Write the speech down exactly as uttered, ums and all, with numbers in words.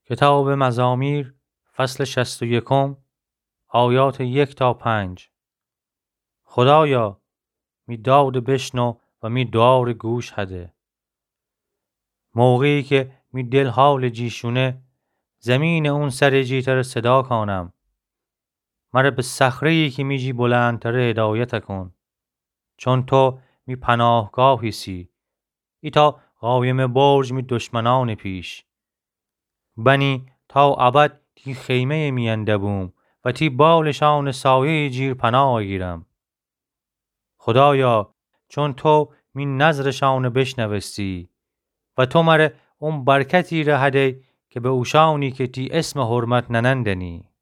کتابٚ مزامیر، فصلٚ شصت و یکم، آیاتٚ یک تا پنج. خودایا، می دادٚ بشنو و می دوعارٚ گوش هده. موقعی کی می دل حالٚ جی شونه، زیمینٚ اون سرٚ جی تر صدا کانم. مر به صخره‌یی کی می جی بلندتره هدایت کن. چون تو می پناهگاه ایسی، ایتا قایمٚ برج می دشمنأنٚ پیش. بنی تا ابد تی خیمه‌یٚ میأن دبوم و تی بالشأنٚ سایه‌یٚ جیر پناه گیرم. خودایا، چون تو می نذرشأنٚ بشنوستی و تو مر اون برکتی ره هدی کی به اوشأنی کی تی اسمٚ حرمت ننندنی.